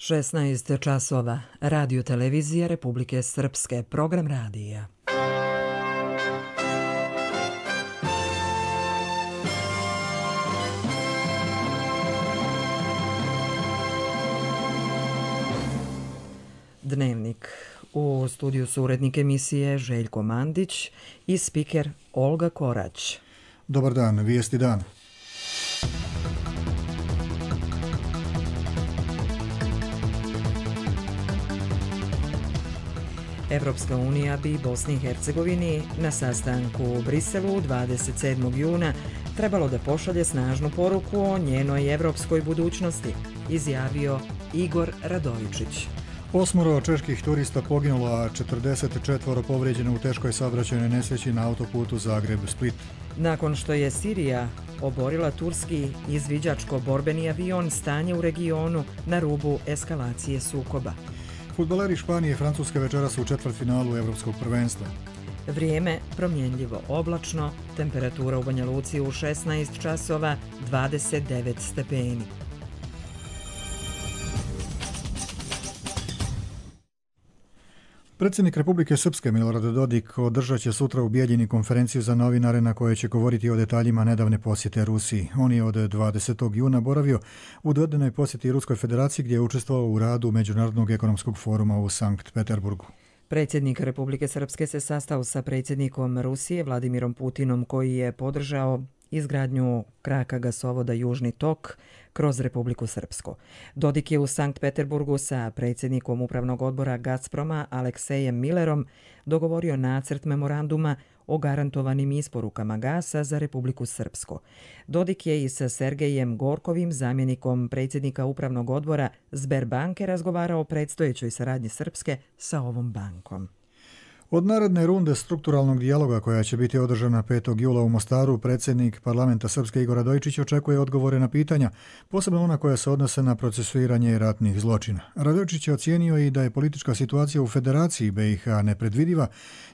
16 časova. Radio televizija Republike Srpske. Program radija. Dnevnik. U studiju su urednik emisije Željko Mandić i spiker Olga Korać. Dobar dan, vijesti dan. Evropska unija bi Bosni i Hercegovini na sastanku u Briselu 27. juna trebalo da pošalje snažnu poruku o njenoj evropskoj budućnosti, izjavio Igor Radojičić. 8 čeških turista poginulo, a 44 povrijeđeno u teškoj saobraćajnoj nesreći na autoputu Zagreb-Split. Nakon što je Sirija oborila turski izviđačko-borbeni avion, stanje u regionu na rubu eskalacije sukoba. Fudbaleri Španije i Francuske večeras u četvrtfinalu Evropskog prvenstva. Vrijeme promjenljivo oblačno, temperatura u Banja Luci u 16 časova, 29 stepeni. Predsjednik Republike Srpske Milorad Dodik održat će sutra u Bijeljini konferenciju za novinare na kojoj će govoriti o detaljima nedavne posjete Rusiji. On je od 20. juna boravio u dvodenoj posjeti Ruskoj federaciji gdje je učestvovao u radu Međunarodnog ekonomskog foruma u Sankt Peterburgu. Predsjednik Republike Srpske se sastao sa predsjednikom Rusije Vladimirom Putinom, koji je podržao izgradnju kraka gasovoda Južni tok kroz Republiku Srpsku. Dodik je u Sankt Peterburgu sa predsjednikom upravnog odbora Gazproma Aleksejem Millerom dogovorio nacrt memoranduma o garantovanim isporukama gasa za Republiku Srpsku. Dodik je i sa Sergejem Gorkovim, zamjenikom predsjednika upravnog odbora Sberbanke, razgovarao o predstojećoj saradnji Srpske sa ovom bankom. Od naredne runde strukturalnog dijaloga koja će biti održana 5. jula u Mostaru, predsjednik parlamenta Srpske Igor Radojičić očekuje odgovore na pitanja, posebno ona koja se odnose na procesuiranje ratnih zločina. Radojičić je ocijenio i da je politička situacija u Federaciji BiH nepredvidiva,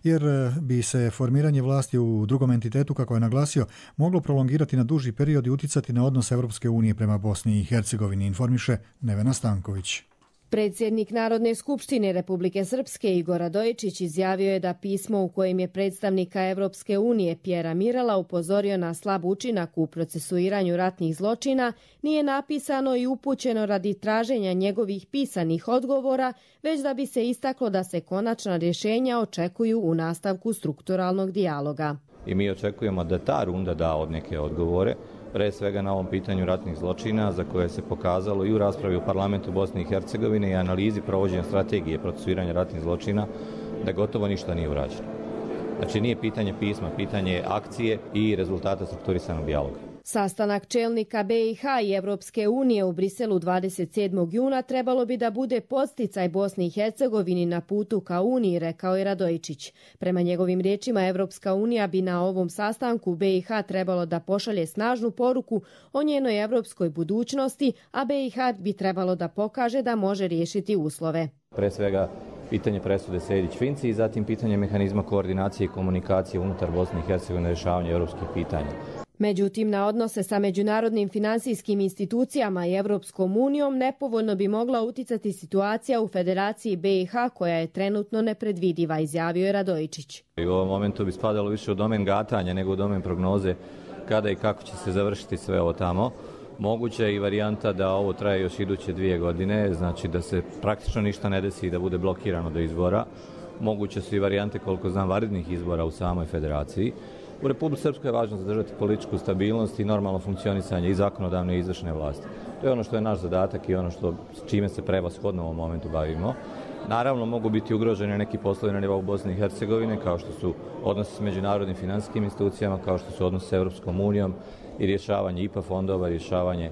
jer bi se formiranje vlasti u drugom entitetu, kako je naglasio, moglo prolongirati na duži period i uticati na odnos Evropske unije prema Bosni i Hercegovini, informiše Nevena Stanković. Predsjednik Narodne skupštine Republike Srpske Igor Radojičić izjavio je da pismo u kojem je predstavnika Evropske unije Pjera Mirala upozorio na slab učinak u procesuiranju ratnih zločina nije napisano i upućeno radi traženja njegovih pisanih odgovora, već da bi se istaklo da se konačna rješenja očekuju u nastavku strukturalnog dijaloga. I mi očekujemo da ta runda da od neke odgovore, pre svega na ovom pitanju ratnih zločina, za koje se pokazalo i u raspravi u parlamentu Bosne i Hercegovine i analizi provođenja strategije procesuiranja ratnih zločina da gotovo ništa nije urađeno. Znači nije pitanje pisma, pitanje je akcije i rezultata strukturisanog dijaloga. Sastanak čelnika BiH i Evropske unije u Briselu 27. juna trebalo bi da bude podsticaj Bosni i Hercegovini na putu ka Uniji, rekao je Radojičić. Prema njegovim riječima, Evropska unija bi na ovom sastanku BiH trebalo da pošalje snažnu poruku o njenoj evropskoj budućnosti, a BiH bi trebalo da pokaže da može riješiti uslove. Pre svega pitanje presude Sejdić-Finci i zatim pitanje mehanizma koordinacije i komunikacije unutar Bosne i Hercegovine, rješavanje europskih pitanja. Međutim, na odnose sa međunarodnim finansijskim institucijama i Evropskom unijom nepovoljno bi mogla uticati situacija u Federaciji BiH koja je trenutno nepredvidiva, izjavio je Radojičić. U ovom momentu bi spadalo više u domen gatanja nego u domen prognoze kada i kako će se završiti sve ovo tamo. Moguća je i varijanta da ovo traje još iduće 2 godine, znači da se praktično ništa ne desi i da bude blokirano do izbora. Moguće su i varijante, koliko znam, vanrednih izbora u samoj federaciji. U Republici Srpskoj je važno zadržati političku stabilnost i normalno funkcionisanje i zakonodavne i izvršne vlasti. To je ono što je naš zadatak i ono s čime se prevashodno u ovom momentu bavimo. Naravno, mogu biti ugroženi neki poslovi na nivou Bosne i Hercegovine, kao što su odnosi s međunarodnim finansijskim institucijama, kao što su odnosi s Evropskom unijom i rješavanje IPA fondova, rješavanje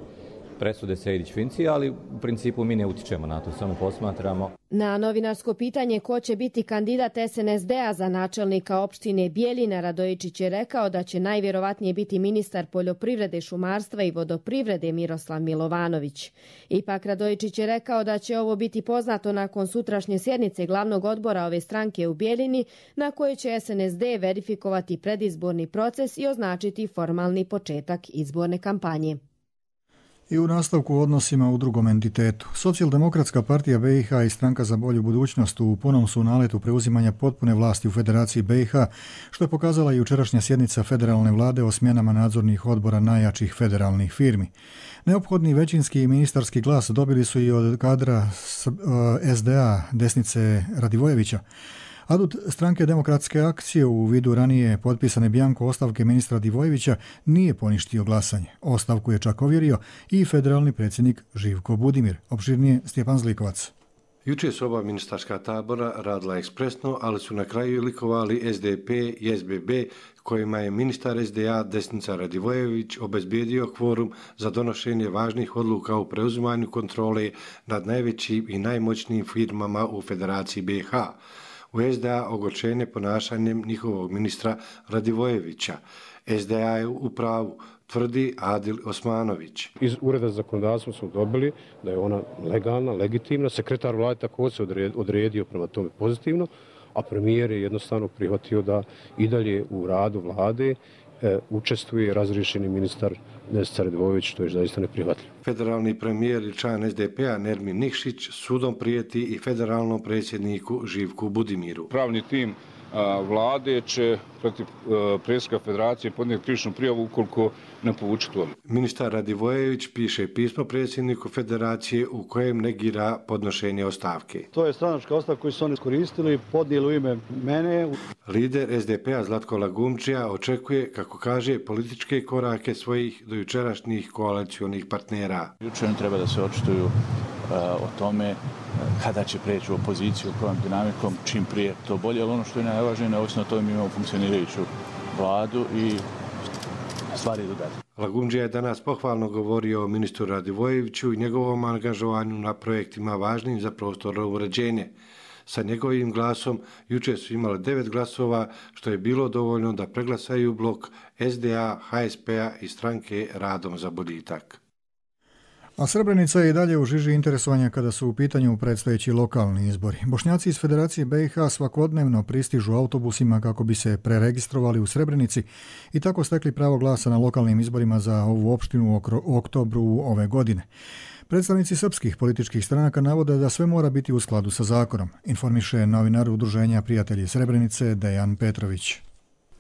presude Sejdić-Finci, ali u principu mi ne utičemo na to, samo posmatramo. Na novinarsko pitanje ko će biti kandidat SNSD-a za načelnika opštine Bijeljina, Radojičić je rekao da će najvjerovatnije biti ministar poljoprivrede, šumarstva i vodoprivrede Miroslav Milovanović. Ipak Radojičić je rekao da će ovo biti poznato nakon sutrašnje sjednice glavnog odbora ove stranke u Bijeljini, na kojoj će SNSD verifikovati predizborni proces i označiti formalni početak izborne kampanje. I u nastavku odnosima u drugom entitetu. Socijaldemokratska partija BiH i Stranka za bolju budućnost u punom su naletu preuzimanja potpune vlasti u Federaciji BiH, što je pokazala i jučerašnja sjednica federalne vlade o smjenama nadzornih odbora najjačih federalnih firmi. Neophodni većinski i ministarski glas dobili su i od kadra SDA Desnice Radivojevića. Adut stranke Demokratske akcije u vidu ranije potpisane bjanko ostavke ministra Radivojevića nije poništio glasanje. Ostavku je čak ovjerio i federalni predsjednik Živko Budimir. Opširnije Stjepan Zlikovac. Jučer su oba ministarska tabora radila ekspresno, ali su na kraju likovali SDP i SBB, kojima je ministar SDA Desnica Radivojević obezbijedio kvorum za donošenje važnih odluka u preuzimanju kontrole nad najvećim i najmoćnijim firmama u Federaciji BiH. U SDA ogorčenje ponašanjem njihovog ministra Radivojevića. SDA je u pravu, tvrdi Adil Osmanović. Iz Ureda za zakonodavstvo smo dobili da je ona legalna, legitimna. Sekretar vlade također se odredio prema tome pozitivno, a premijer je jednostavno prihvatio da i dalje u radu vlade učestvuje razriješeni ministar Desnica Radivojević, što je zaista neprihvatljivo. Federalni premijer i član SDP-a Nermin Nikšić sudom prijeti i federalnom predsjedniku Živku Budimiru. Pravni tim vlade će protiv predsjednika federacije podnijeti krivičnu prijavu ukoliko ne povuče tu odluku. Ministar Radivojević piše pismo predsjedniku federacije u kojem negira podnošenje ostavke. To je stranačka ostavka koju su oni iskoristili, podnijeli u ime mene. Lider SDP-a Zlatko Lagumdžija očekuje, kako kaže, političke korake svojih dojučerašnjih koalicionih partnera. Jučer treba da se očituju o tome kada će preći u opoziciju, kojom dinamikom, čim prije to bolje, ali ono što je najvažnije, neovisno o tome mi imamo funkcionirajuću vladu i stvari idu dalje. Lagumdžija je danas pohvalno govorio o ministru Radivojeviću i njegovom angažovanju na projektima važnim za prostorno uređenje. Sa njegovim glasom jučer su imali 9 glasova, što je bilo dovoljno da preglasaju blok SDA, HSP-a i stranke Radom za boljitak. A Srebrenica je i dalje u žiži interesovanja kada su u pitanju predstojeći lokalni izbori. Bošnjaci iz Federacije BiH svakodnevno pristižu autobusima kako bi se preregistrovali u Srebrenici i tako stekli pravo glasa na lokalnim izborima za ovu opštinu u oktobru ove godine. Predstavnici srpskih političkih stranaka navode da sve mora biti u skladu sa zakonom, informiše novinar Udruženja Prijatelji Srebrenice Dejan Petrović.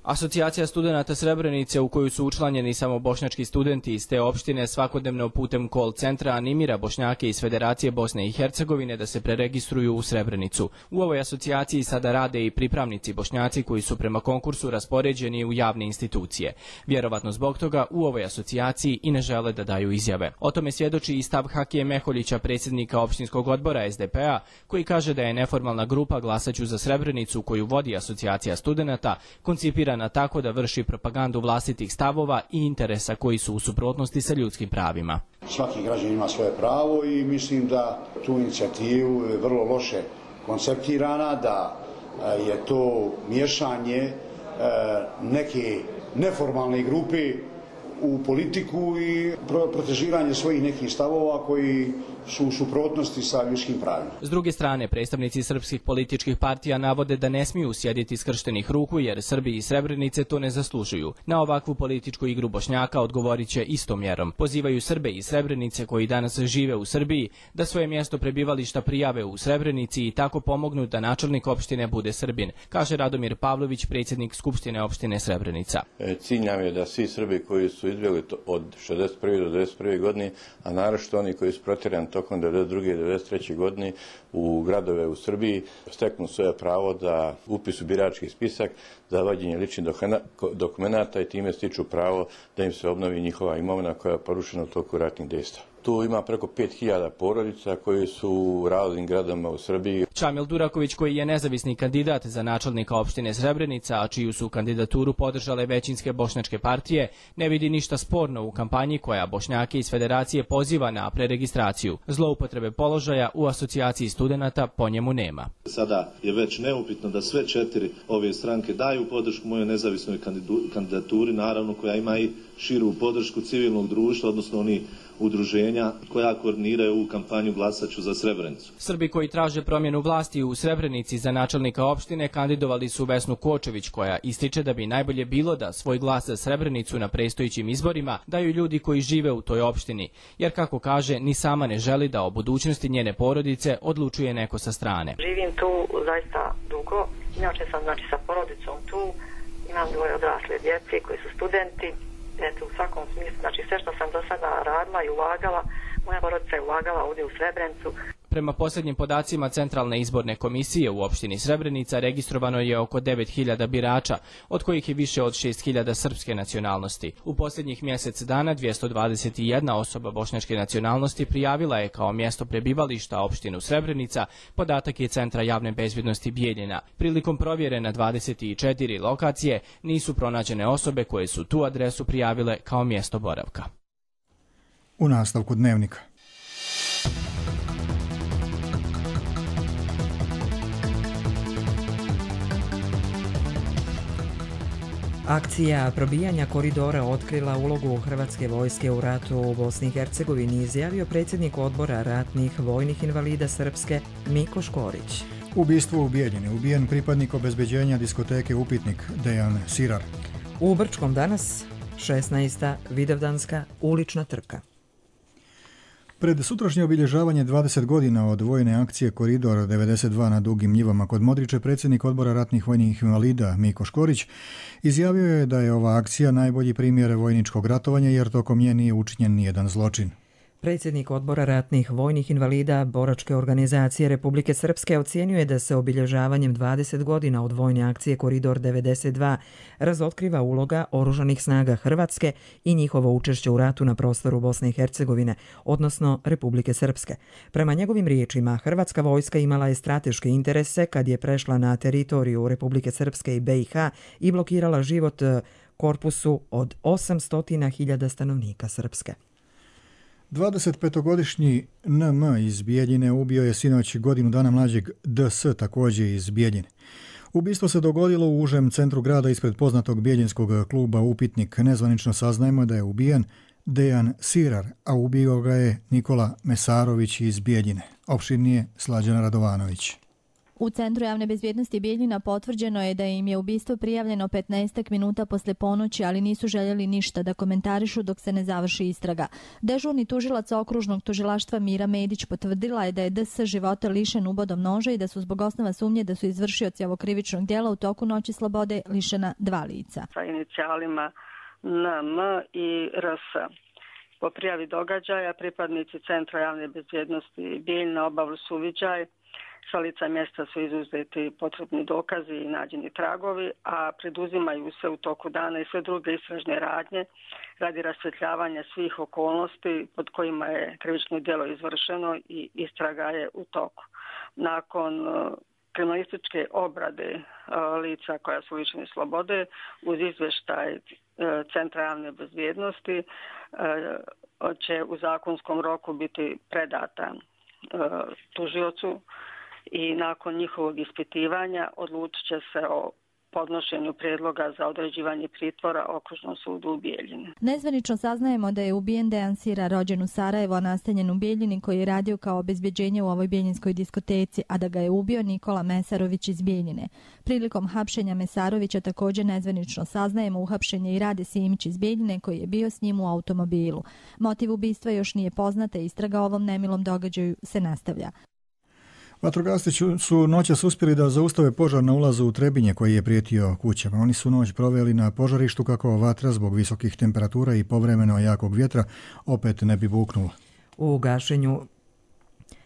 Asocijacija studenata Srebrenice, u koju su učlanjeni samo bošnjački studenti iz te opštine, svakodnevno putem call centra animira Bošnjake iz Federacije Bosne i Hercegovine da se preregistruju u Srebrenicu. U ovoj asocijaciji sada rade i pripravnici Bošnjaci koji su prema konkursu raspoređeni u javne institucije. Vjerovatno zbog toga u ovoj asocijaciji i ne žele da daju izjave. O tome svjedoči i stav Hakije Meholjića, predsjednika opštinskog odbora SDP-a, koji kaže da je neformalna grupa Glasaću za Srebrenicu, koju vodi asocijacija studenata, koncipirana tako da vrši propagandu vlastitih stavova i interesa koji su u suprotnosti sa ljudskim pravima. Svaki građanin ima svoje pravo i mislim da tu inicijativu je vrlo loše konceptirana, da je to miješanje neke neformalne grupe u politiku i protežiranje svojih nekih stavova koji su u suprotnosti sa ljudskim pravima. S druge strane, predstavnici srpskih političkih partija navode da ne smiju sjediti skrštenih ruku jer Srbi iz Srebrenice to ne zaslužuju. Na ovakvu političku igru Bošnjaka odgovorit će istom mjerom. Pozivaju Srbe iz Srebrenice koji danas žive u Srbiji da svoje mjesto prebivališta prijave u Srebrenici i tako pomognu da načelnik opštine bude Srbin, kaže Radomir Pavlović, predsjednik Skupštine opštine Srebrenica. Cilj nam je da svi Srbi koji su izbjegli od 61. do 91. godine, a naročito oni koji su protjerani tokom 1992. i 1993. godine u gradove u Srbiji, steknu svoje pravo da upisu birački spisak, za vađenje ličnih dokumenata i time stiču pravo da im se obnovi njihova imovina koja je porušena u toku ratnih dejstava. Tu ima preko 5000 porodica koji su u raznim gradama u Srbiji. Čamil Duraković, koji je nezavisni kandidat za načelnika opštine Srebrenica, a čiju su kandidaturu podržale većinske bošnjačke partije, ne vidi ništa sporno u kampanji koja Bošnjake iz Federacije poziva na preregistraciju. Zloupotrebe položaja u asocijaciji studenata po njemu nema. Sada je već neupitno da sve 4 ove stranke daju podršku mojoj nezavisnoj kandidaturi, naravno koja ima i širu podršku civilnog društva, odnosno udruženja koja koordiniraju ovu kampanju Glasaću za Srebrenicu. Srbi koji traže promjenu vlasti u Srebrenici za načelnika opštine kandidovali su Vesnu Kočević, koja ističe da bi najbolje bilo da svoj glas za Srebrenicu na predstojećim izborima daju ljudi koji žive u toj opštini, jer kako kaže, ni sama ne želi da o budućnosti njene porodice odlučuje neko sa strane. Živim tu zaista dugo, inače sam sa porodicom tu, imam 2 odrasle djece koji su studenti, eto u svakom smislu, sve što sam do sada radila i ulagala, moja porodica je ulagala ovdje u Srebrenicu. Prema posljednjim podacima Centralne izborne komisije u opštini Srebrenica registrovano je oko 9.000 birača, od kojih je više od 6.000 srpske nacionalnosti. U posljednjih mjesec dana 221 osoba bošnjačke nacionalnosti prijavila je kao mjesto prebivališta opštinu Srebrenica, podatak je Centra javne bezbjednosti Bijeljina. Prilikom provjere na 24 lokacije nisu pronađene osobe koje su tu adresu prijavile kao mjesto boravka. U nastavku dnevnika. Akcija probijanja koridora otkrila ulogu Hrvatske vojske u ratu u Bosni i Hercegovini, izjavio predsjednik odbora ratnih vojnih invalida Srpske Miko Škorić. Ubistvo u Bijeljini, ubijen pripadnik obezbeđenja diskoteke Upitnik Dejan Sirar. U Brčkom danas 16. Vidovdanska ulična trka. Pred sutrašnje obilježavanje 20 godina od vojne akcije Koridor 92 na Dugim njivama kod Modriče, predsjednik odbora ratnih vojnih invalida Miko Škorić izjavio je da je ova akcija najbolji primjer vojničkog ratovanja jer tokom nje nije učinjen nijedan zločin. Predsjednik odbora ratnih vojnih invalida Boračke organizacije Republike Srpske ocijenio je da se obilježavanjem 20 godina od vojne akcije Koridor 92 razotkriva uloga oružanih snaga Hrvatske i njihovo učešće u ratu na prostoru Bosne i Hercegovine, odnosno Republike Srpske. Prema njegovim riječima, Hrvatska vojska imala je strateške interese kad je prešla na teritoriju Republike Srpske i BiH i blokirala život korpusu od 800.000 stanovnika Srpske. 25-godišnji NM iz Bijeljine ubio je sinoć godinu dana mlađeg DS, također iz Bijeljine. Ubistvo se dogodilo u užem centru grada ispred poznatog bijeljinskog kluba Upitnik. Nezvanično saznajemo da je ubijen Dejan Sirar, a ubio ga je Nikola Mesarović iz Bijeljine. Opširnije Slađana Radovanović. U Centru javne bezbjednosti Bijeljina potvrđeno je da im je ubistvo prijavljeno 15 minuta posle ponoći, ali nisu željeli ništa da komentarišu dok se ne završi istraga. Dežurni tužilac okružnog tužilaštva Mira Medić potvrdila je da je DS života lišen ubodom noža i da su zbog osnova sumnje da su izvršioci ovog krivičnog djela u toku noći slobode lišena 2 lica. Sa inicijalima NM i RS. Po prijavi događaja pripadnici Centra javne bezbjednosti Bijeljina obavili su uviđaj. Sa lica mjesta su izuzeti potrebni dokazi i nađeni tragovi, a preduzimaju se u toku dana i sve druge istražne radnje radi rasvjetljavanja svih okolnosti pod kojima je krivično djelo izvršeno i istraga je u toku. Nakon kriminalističke obrade lica koja su lišeni slobode uz izvještaj Centra javne bezbjednosti će u zakonskom roku biti predata tužiocu i nakon njihovog ispitivanja odlučit će se o podnošenju prijedloga za određivanje pritvora Okružnom sudu u Bijeljini. Nezvanično saznajemo da je ubijen Dejan Sirar, rođen u Sarajevu, a nastanjen u Bijeljini, koji je radio kao obezbjeđenje u ovoj bijeljinskoj diskoteci, a da ga je ubio Nikola Mesarović iz Bijeljine. Prilikom hapšenja Mesarovića također nezvanično saznajemo uhapšenje i Rade Simić iz Bijeljine, koji je bio s njim u automobilu. Motiv ubistva još nije poznata i istraga o ovom nemilom događaju se nastavlja. Vatrogasci su noćas uspjeli da zaustave požar na ulazu u Trebinje koji je prijetio kućama. Oni su noć proveli na požarištu kako vatra zbog visokih temperatura i povremeno jakog vjetra opet ne bi buknula. U gašenju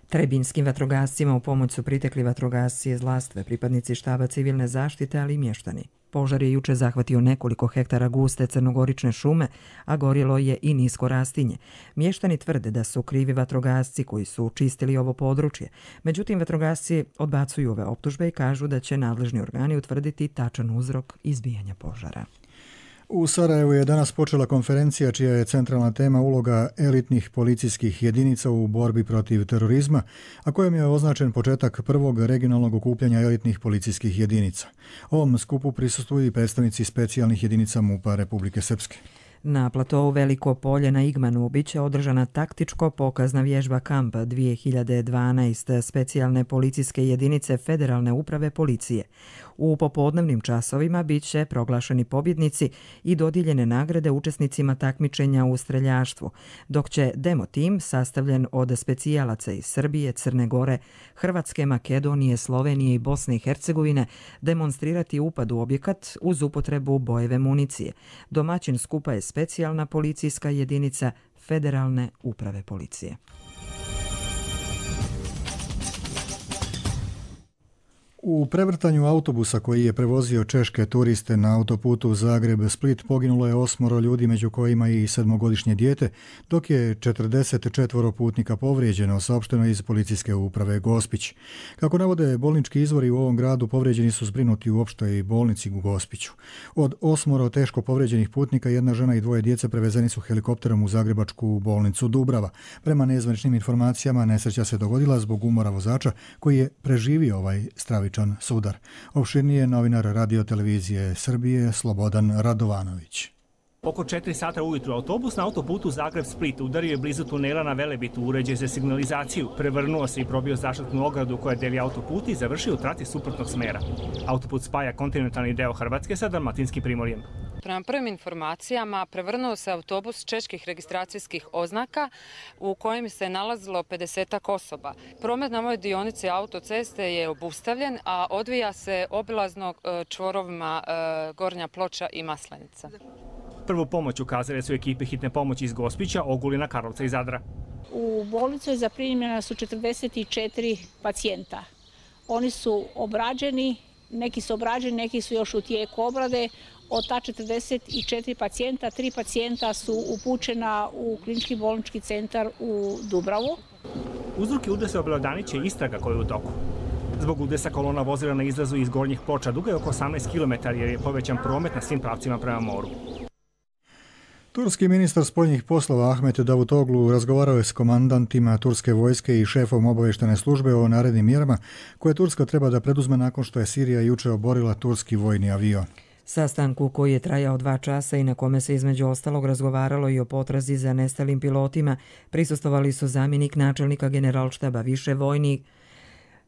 trebinskim vatrogascima u pomoć su pritekli vatrogasci iz Lastve, pripadnici štaba civilne zaštite, ali i mještani. Požar je juče zahvatio nekoliko hektara guste crnogorične šume, a gorjelo je i nisko rastinje. Mještani tvrde da su krivi vatrogasci koji su čistili ovo područje. Međutim, vatrogasci odbacuju ove optužbe i kažu da će nadležni organi utvrditi tačan uzrok izbijanja požara. U Sarajevu je danas počela konferencija čija je centralna tema uloga elitnih policijskih jedinica u borbi protiv terorizma, a kojem je označen početak prvog regionalnog okupljanja elitnih policijskih jedinica. Ovom skupu prisustvuju i predstavnici specijalnih jedinica MUP-a Republike Srpske. Na platovu Veliko polje na Igmanu biće održana taktičko-pokazna vježba Kamp 2012 specijalne policijske jedinice Federalne uprave policije. U popodnevnim časovima biće proglašeni pobjednici i dodijeljene nagrade učesnicima takmičenja u streljaštvu, dok će demo tim, sastavljen od specijalaca iz Srbije, Crne Gore, Hrvatske, Makedonije, Slovenije i Bosne i Hercegovine, demonstrirati upad u objekat uz upotrebu bojeve municije. Domaćin skupa je specijalna policijska jedinica Federalne uprave policije. U prevrtanju autobusa koji je prevozio češke turiste na autoputu Zagreb-Split poginulo je 8 ljudi, među kojima i 7-godišnje dijete, dok je 44 putnika povrijeđeno, saopšteno iz policijske uprave Gospić. Kako navode bolnički izvori, u ovom gradu povrijeđeni su zbrinuti u opštoj bolnici u Gospiću. Od 8 teško povrijeđenih putnika, 1 žena i 2 djece prevezeni su helikopterom u zagrebačku bolnicu Dubrava. Prema nezvaničnim informacijama, nesreća se dogodila zbog umora vozača koji je preživio ovaj stravičan sudar. Opširnije novinar Radio-televizije Srbije Slobodan Radovanović. Oko 4 sata ujutru autobus na autoputu Zagreb-Split udario je blizu tunela na Velebitu uređaj za signalizaciju, prevrnuo se i probio zaštitnu ogradu koja deli autoput i završio u trati suprotnog smera. Autoput spaja kontinentalni deo Hrvatske sa Dalmatinskim primorjem. Prema prvim informacijama prevrnuo se autobus čeških registracijskih oznaka u kojem se nalazilo 50-ak osoba. Promet na ovoj dionici autoceste je obustavljen, a odvija se obilazno čvorovima Gornja Ploča i Maslenica. Prvu pomoć ukazale su ekipe hitne pomoći iz Gospića, Ogulina, Karlovca i Zadra. U bolnicu zaprimljena su 44 pacijenta. Oni su obrađeni, neki su još u tijeku obrade. Od ta 44 pacijenta, 3 pacijenta su upućena u klinički bolnički centar u Dubravu. Uzroke udesa obelodaniće istraga koja je u toku. Zbog udesa kolona vozila na izlazu iz Gornjih Ploča duga je oko 18 km jer je povećan promet na svim pravcima prema moru. Turski ministar spoljnih poslova Ahmet Davutoglu razgovarao je s komandantima turske vojske i šefom obavještajne službe o narednim mjerama koje Turska treba da preduzme nakon što je Sirija juče oborila turski vojni avion. Sastanku koji je trajao 2 časa i na kome se između ostalog razgovaralo i o potrazi za nestalim pilotima, prisustvovali su zamjenik načelnika generalštaba,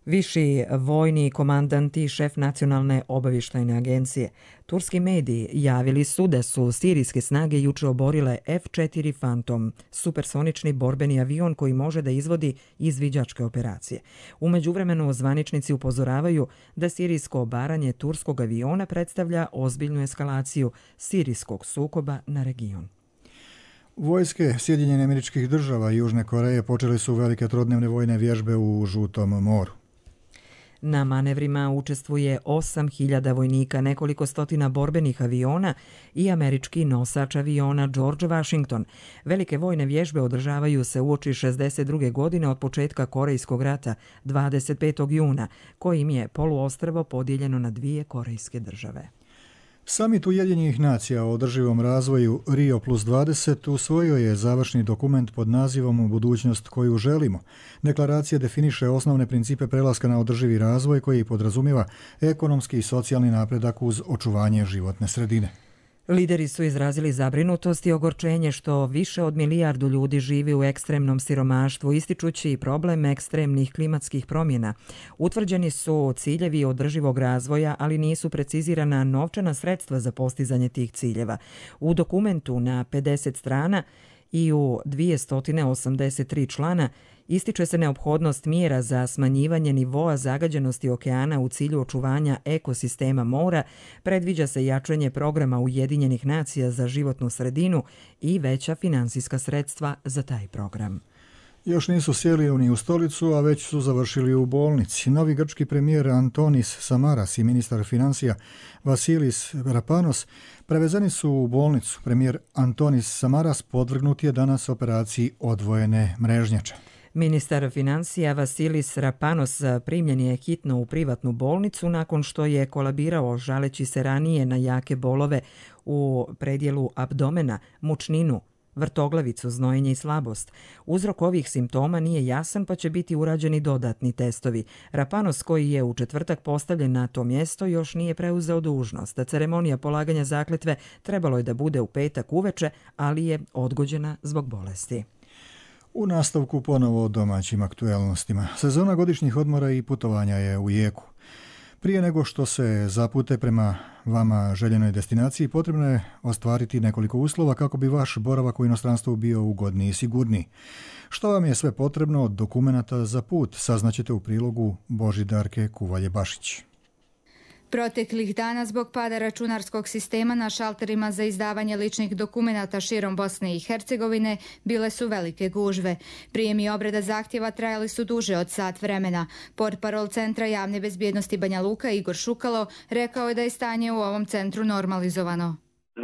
viši vojni komandant i šef nacionalne obavještajne agencije. Turski mediji javili su da su sirijske snage juče oborile F-4 Phantom, supersonični borbeni avion koji može da izvodi izviđačke operacije. U međuvremenu zvaničnici upozoravaju da sirijsko obaranje turskog aviona predstavlja ozbiljnu eskalaciju sirijskog sukoba na region. Vojske Sjedinjenih Američkih Država i Južne Koreje počeli su velike trodnevne vojne vježbe u Žutom moru. Na manevrima učestvuje 8.000 vojnika, nekoliko stotina borbenih aviona i američki nosač aviona George Washington. Velike vojne vježbe održavaju se uoči 62. godine od početka Korejskog rata 25. juna, kojim je poluostrvo podijeljeno na 2 korejske države. Samit Ujedinjenih nacija o održivom razvoju Rio plus 20 usvojio je završni dokument pod nazivom Budućnost koju želimo. Deklaracija definiše osnovne principe prelaska na održivi razvoj koji podrazumijeva ekonomski i socijalni napredak uz očuvanje životne sredine. Lideri su izrazili zabrinutost i ogorčenje što više od 1 milijardu ljudi živi u ekstremnom siromaštvu, ističući problem ekstremnih klimatskih promjena. Utvrđeni su ciljevi održivog razvoja, ali nisu precizirana novčana sredstva za postizanje tih ciljeva. U dokumentu na 50 strana i u 283 člana ističe se neophodnost mjera za smanjivanje nivoa zagađenosti okeana u cilju očuvanja ekosistema mora, predviđa se jačanje programa Ujedinjenih nacija za životnu sredinu i veća finansijska sredstva za taj program. Još nisu sjeli ni u stolicu, a već su završili u bolnici. Novi grčki premijer Antonis Samaras i ministar financija Vasilis Rapanos prevezeni su u bolnicu. Premijer Antonis Samaras podvrgnut je danas operaciji odvojene mrežnjače. Ministar financija Vasilis Rapanos primljen je hitno u privatnu bolnicu nakon što je kolabirao žaleći se ranije na jake bolove u predjelu abdomena, mučninu, vrtoglavicu, znojenje i slabost. Uzrok ovih simptoma nije jasan pa će biti urađeni dodatni testovi. Rapanos, koji je u četvrtak postavljen na to mjesto, još nije preuzeo dužnost. Ceremonija polaganja zakletve trebalo je da bude u petak uveče, ali je odgođena zbog bolesti. U nastavku ponovo o domaćim aktuelnostima. Sezona godišnjih odmora i putovanja je u jeku. Prije nego što se zapute prema vama željenoj destinaciji, potrebno je ostvariti nekoliko uslova kako bi vaš boravak u inostranstvu bio ugodniji i sigurniji. Što vam je sve potrebno od dokumenata za put, saznaćete u prilogu Božidarke Kuvalje-Bašić. Proteklih dana zbog pada računarskog sistema na šalterima za izdavanje ličnih dokumenata širom Bosne i Hercegovine bile su velike gužve. Prijem i obrada zahtjeva trajali su duže od sat vremena. Portparol Centra javne bezbjednosti Banja Luka Igor Šukalo rekao je da je stanje u ovom centru normalizovano.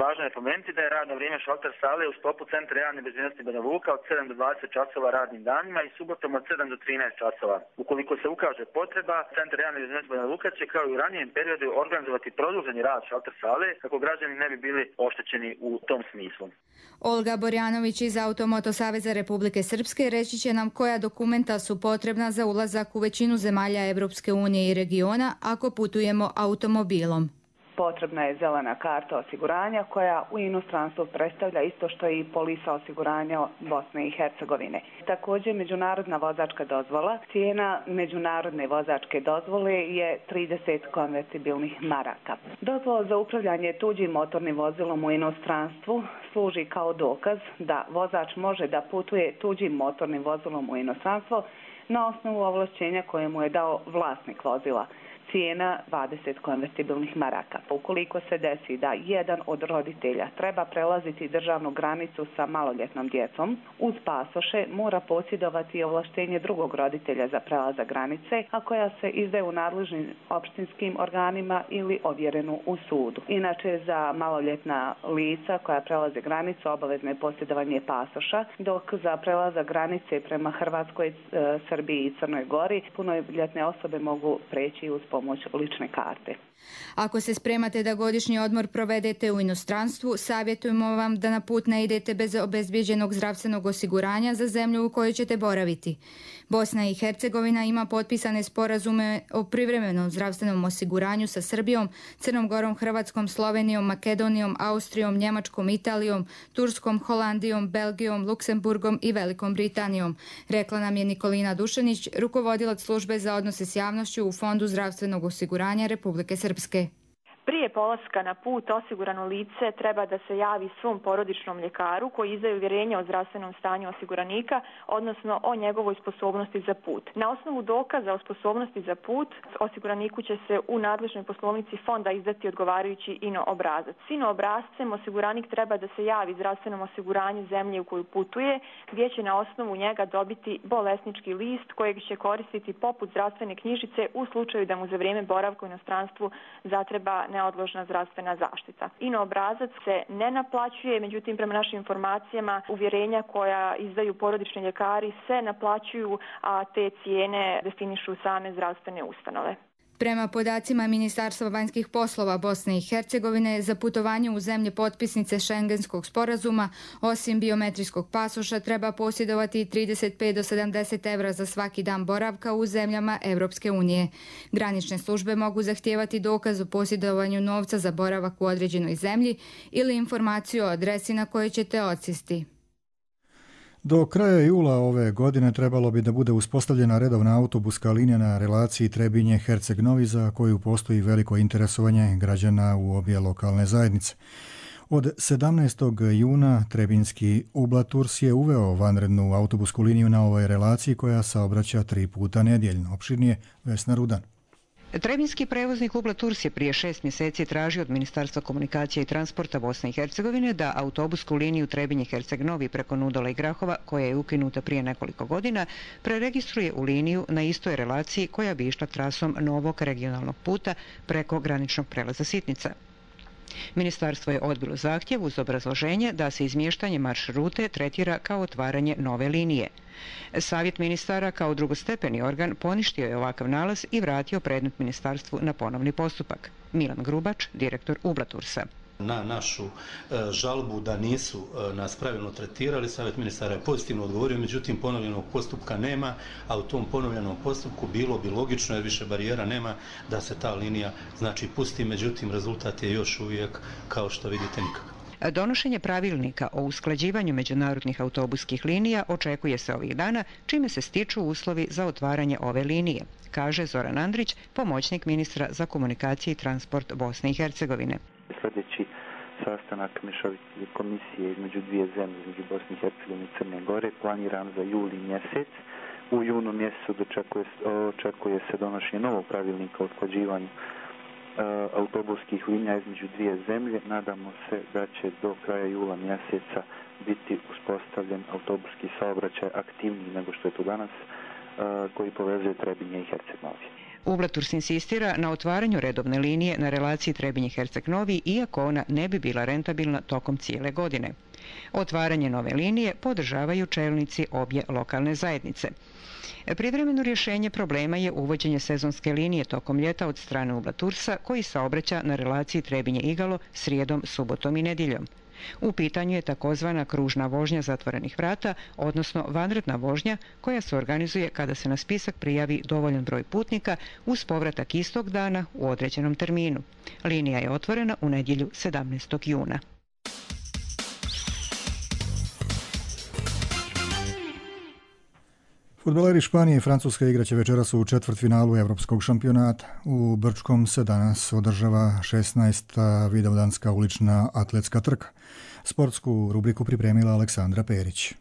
Važno je pomenuti da je radno vrijeme šalter sale u sklopu Centra javne bezbjednosti Banja Luka od 7 do 20 časova radnim danima i subotom od 7 do 13 časova. Ukoliko se ukaže potreba, Centar javne bezbjednosti Banja Luka će kao i u ranijem periodu organizovati produženi rad šalter sale kako građani ne bi bili oštećeni u tom smislu. Olga Borjanović iz Automoto Saveza Republike Srpske reći će nam koja dokumenta su potrebna za ulazak u većinu zemalja Evropske unije i regiona ako putujemo automobilom. Potrebna je zelena karta osiguranja koja u inostranstvu predstavlja isto što i polisa osiguranja Bosne i Hercegovine. Također međunarodna vozačka dozvola. Cijena međunarodne vozačke dozvole je 30 konvertibilnih maraka. Dozvola za upravljanje tuđim motornim vozilom u inostranstvu služi kao dokaz da vozač može da putuje tuđim motornim vozilom u inostranstvo na osnovu ovlašćenja koje mu je dao vlasnik vozila. Cijena 20 konvertibilnih maraka. Ukoliko se desi da jedan od roditelja treba prelaziti državnu granicu sa maloljetnom djecom, uz pasoše mora posjedovati ovlaštenje drugog roditelja za prelazak granice, a koja se izdaje u nadležnim opštinskim organima ili ovjerenu u sudu. Inače, za maloljetna lica koja prelaze granicu obavezno je posjedovanje pasoša, dok za prelazak granice prema Hrvatskoj, Srbiji i Crnoj Gori punoljetne osobe mogu preći uz pomoć lične karte. Ako se spremate da godišnji odmor provedete u inostranstvu, savjetujemo vam da na put ne idete bez obezbijeđenog zdravstvenog osiguranja za zemlju u kojoj ćete boraviti. Bosna i Hercegovina ima potpisane sporazume o privremenom zdravstvenom osiguranju sa Srbijom, Crnom Gorom, Hrvatskom, Slovenijom, Makedonijom, Austrijom, Njemačkom, Italijom, Turskom, Holandijom, Belgijom, Luksemburgom i Velikom Britanijom, rekla nam je Nikolina Dušanić, rukovodilac službe za odnose s javnošću u Fondu zdravstvenog osiguranja Republike Srpske. Prije polaska na put osigurano lice treba da se javi svom porodičnom ljekaru koji izdaje uvjerenje o zdravstvenom stanju osiguranika, odnosno o njegovoj sposobnosti za put. Na osnovu dokaza o sposobnosti za put, osiguraniku će se u nadležnoj poslovnici fonda izdati odgovarajući INO obrazac. S INO obrazcem osiguranik treba da se javi zdravstvenom osiguranju zemlje u koju putuje, gdje će na osnovu njega dobiti bolesnički list kojeg će koristiti poput zdravstvene knjižice u slučaju da mu za vrijeme boravka u inostranstvu zatreba neodložna zdravstvena zaštita. INO obrazac se ne naplaćuje, međutim prema našim informacijama uvjerenja koja izdaju porodični ljekari se naplaćuju, a te cijene definišu same zdravstvene ustanove. Prema podacima Ministarstva vanjskih poslova Bosne i Hercegovine, za putovanje u zemlje potpisnice Šengenskog sporazuma, osim biometrijskog pasoša, treba posjedovati 35 do 70 evra za svaki dan boravka u zemljama Evropske unije. Granične službe mogu zahtijevati dokaz o posjedovanju novca za boravak u određenoj zemlji ili informaciju o adresi na kojoj ćete odsjesti. Do kraja jula ove godine trebalo bi da bude uspostavljena redovna autobuska linija na relaciji Trebinje-Herceg-Novi za koju postoji veliko interesovanje građana u obje lokalne zajednice. Od 17. juna Trebinski Ublaturs je uveo vanrednu autobusku liniju na ovoj relaciji koja saobraća 3 puta nedjeljno. Opširnije Vesna Rudan. Trebinski prevoznik Ublaturs je prije 6 mjeseci tražio od Ministarstva komunikacije i transporta Bosne i Hercegovine da autobusku liniju Trebinje-Herceg-Novi preko Nudola i Grahova, koja je ukinuta prije nekoliko godina, preregistruje u liniju na istoj relaciji koja bi išla trasom novog regionalnog puta preko graničnog prelaza Sitnica. Ministarstvo je odbilo zahtjev uz obrazloženje da se izmještanje maršrute tretira kao otvaranje nove linije. Savjet ministara kao drugostepeni organ poništio je ovakav nalaz i vratio predmet ministarstvu na ponovni postupak. Milan Grubač, direktor Ublatursa. Na našu žalbu da nisu nas pravilno tretirali, Savjet ministara je pozitivno odgovorio, međutim ponovljenog postupka nema, a u tom ponovljenom postupku bilo bi logično, jer više barijera nema, da se ta linija pusti, međutim rezultat je još uvijek, kao što vidite, nikakav. Donošenje pravilnika o usklađivanju međunarodnih autobuskih linija očekuje se ovih dana, čime se stiču uslovi za otvaranje ove linije, kaže Zoran Andrić, pomoćnik ministra za komunikacije i transport Bosne i Hercegovine. Sljedeći sastanak mješovite komisije između dvije zemlje, između Bosne i Hercegovine i Crne Gore, planiran za juli mjesec. U junu mjesecu očekuje se donošenje novog pravilnika o usklađivanju autobuskih linija između dvije zemlje. Nadamo se da će do kraja jula mjeseca biti uspostavljen autobuski saobraćaj aktivniji nego što je to danas, koji povezuje Trebinje i Herceg Novi. Ublaturs insistira na otvaranju redovne linije na relaciji Trebinje-Herceg Novi, iako ona ne bi bila rentabilna tokom cijele godine. Otvaranje nove linije podržavaju čelnici obje lokalne zajednice. Privremeno rješenje problema je uvođenje sezonske linije tokom ljeta od strane Ublatursa, koji saobraća na relaciji Trebinje-Igalo srijedom, subotom i nedjeljom. U pitanju je takozvana kružna vožnja zatvorenih vrata, odnosno vanredna vožnja koja se organizuje kada se na spisak prijavi dovoljan broj putnika uz povratak istog dana u određenom terminu. Linija je otvorena u nedjelju 17. juna. Fudbaleri Španije i Francuske igraće večeras u četvrtfinalu Evropskog šampionata. U Brčkom se danas održava 16. vidovdanska ulična atletska trka. Sportsku rubriku pripremila Aleksandra Perić.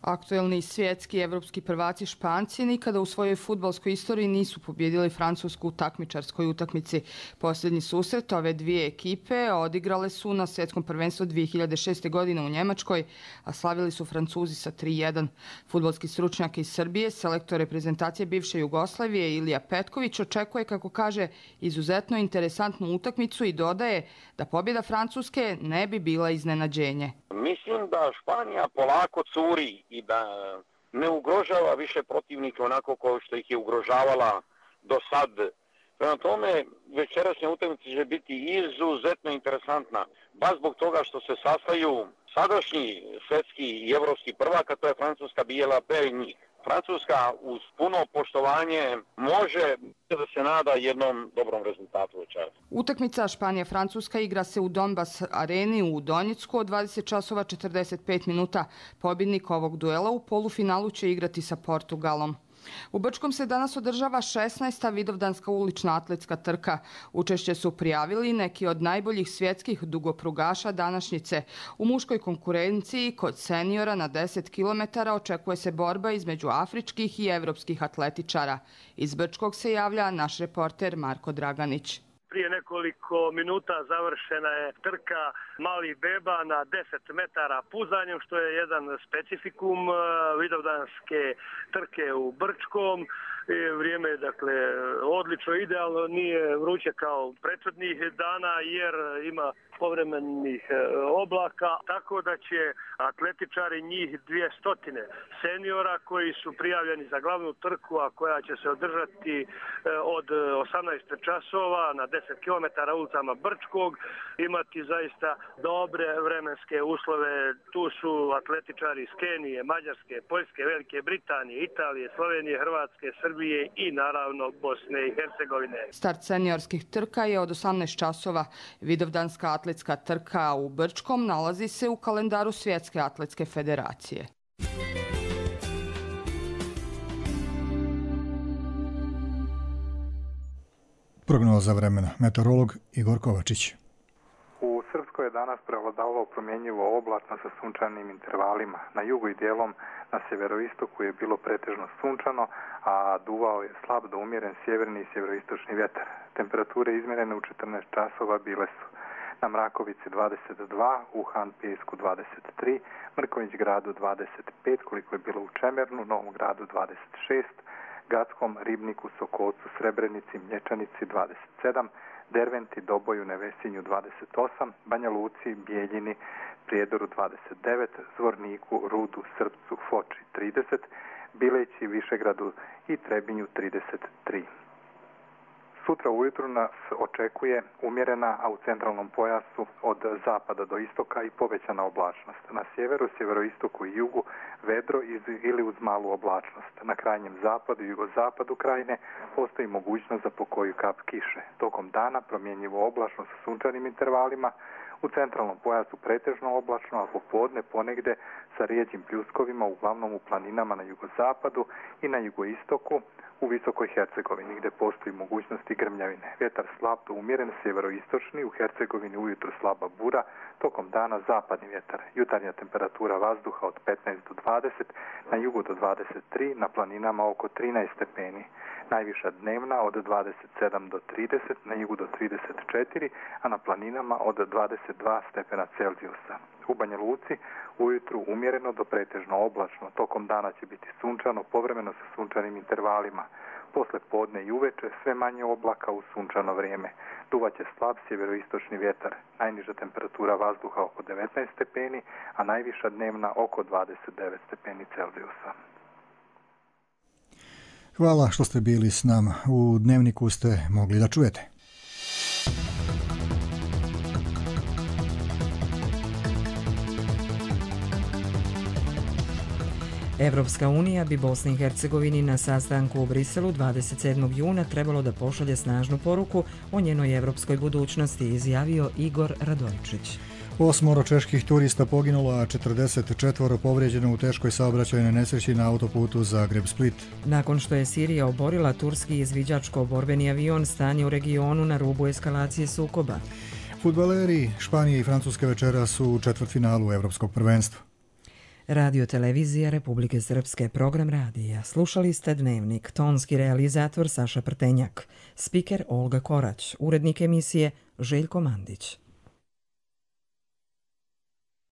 Aktuelni svjetski i evropski prvaci Španci nikada u svojoj fudbalskoj istoriji nisu pobjedili Francusku u takmičarskoj utakmici. Posljednji susret ove dvije ekipe odigrale su na svjetskom prvenstvu 2006. godine u Njemačkoj, a slavili su Francuzi sa 3:1. Fudbalski stručnjak iz Srbije, selektor reprezentacije bivše Jugoslavije Ilija Petković, očekuje, kako kaže, izuzetno interesantnu utakmicu i dodaje da pobjeda Francuske ne bi bila iznenađenje. Mislim da Španija polako curi i da ne ugrožava više protivnike onako kao što ih je ugrožavala do sad. Prema tome, večerašnja utakmica će biti izuzetno interesantna. Baš zbog toga što se sastaju sadašnji svjetski i evropski prvak, a to je Francuska, Bijela Perigny. Francuska uz puno poštovanje može da se nada jednom dobrom rezultatu večeras. Utakmica Španija-Francuska igra se u Donbas areni u Donjecku od 20:45. Pobjednik ovog duela u polufinalu će igrati sa Portugalom. U Brčkom se danas održava 16. vidovdanska ulična atletska trka. Učešće su prijavili neki od najboljih svjetskih dugoprugaša današnjice. U muškoj konkurenciji kod seniora na 10 km očekuje se borba između afričkih i evropskih atletičara. Iz Brčkog se javlja naš reporter Marko Draganić. Prije nekoliko minuta završena je trka malih beba na 10 metara puzanjem, što je jedan specifikum vidovdanske trke u Brčkom. Vrijeme je odlično, idealno, nije vruće kao prethodnih dana jer ima povremenih oblaka, tako da će atletičari njih 200 seniora koji su prijavljeni za glavnu trku, a koja će se održati od 18 časova na 10 km ulicama Brčkog, imati zaista dobre vremenske uslove. Tu su atletičari iz Kenije, Mađarske, Poljske, Velike Britanije, Italije, Slovenije, Hrvatske, Srbije i naravno Bosne i Hercegovine. Start seniorskih trka je od 18 časova. Vidovdanska atletska trka u Brčkom nalazi se u kalendaru Svjetske atletske federacije. Prognoza vremena. Meteorolog Igor Kovačić. U Srpskoj je danas prevladavalo promjenjivo oblačno sa sunčanim intervalima. Na jugu i dijelom na sjeveroistoku je bilo pretežno sunčano, a duvao je slab do umjeren sjeverni i sjeveroistočni vjetar. Temperature izmjerene u 14 časova bile su na Mrakovici 22, u Han-Pjesku 23, Mrkonjić gradu 25, koliko je bilo u Čemernu, Novom gradu 26, Gackom, Ribniku, Sokolcu, Srebrenici, Mlječanici 27, Derventi, Doboju, Nevesinju 28, Banja Luci, Bijeljini, Prijedoru 29, Zvorniku, Rudu, Srpcu, Foči 30, Bileći, Višegradu i Trebinju 33. Sutra ujutru nas očekuje umjerena, a u centralnom pojasu od zapada do istoka i povećana oblačnost. Na sjeveru, sjeveroistoku i jugu vedro ili uz malu oblačnost. Na krajnjem zapadu i jugozapadu krajine postoji mogućnost za pokoju kap kiše. Tokom dana promjenjivo oblačno sa sunčanim intervalima, u centralnom pojasu pretežno oblačno, a popodne ponegde sa rijeđim pljuskovima, uglavnom u planinama na jugozapadu i na jugoistoku, u Visokoj Hercegovini, gdje postoji mogućnosti grmljavine. Vjetar slab do umjeren, sjeveroistočni, u Hercegovini ujutro slaba bura, tokom dana zapadni vjetar. Jutarnja temperatura vazduha od 15 do 20, na jugu do 23, na planinama oko 13 stepeni. Najviša dnevna od 27 do 30, na jugu do 34, a na planinama od 22 stepena Celzijusa. U Banja Luci ujutru umjereno do pretežno oblačno, tokom dana će biti sunčano, povremeno sa sunčanim intervalima. Posle podne i uveče sve manje oblaka u sunčano vrijeme. Duvaće slab sjeveroistočni vjetar. Najniža temperatura vazduha oko 19 stepeni, a najviša dnevna oko 29 stepeni Celzijusa. Hvala što ste bili s nama. U Dnevniku ste mogli da čujete. Evropska unija bi Bosni i Hercegovini na sastanku u Briselu 27. juna trebalo da pošalje snažnu poruku o njenoj evropskoj budućnosti, izjavio Igor Radojčić. 8 čeških turista poginulo, a 44 povrijeđeno u teškoj saobraćajnoj nesreći na autoputu Zagreb-Split. Nakon što je Sirija oborila turski izviđačko-borbeni avion, stanje u regionu na rubu eskalacije sukoba. Fudbaleri Španije i Francuske večera su u četvrtfinalu Evropskog prvenstva. Radio televizija Republike Srpske, program radija. Slušali ste Dnevnik, tonski realizator Saša Prtenjak, spiker Olga Korać, urednik emisije Željko Mandić.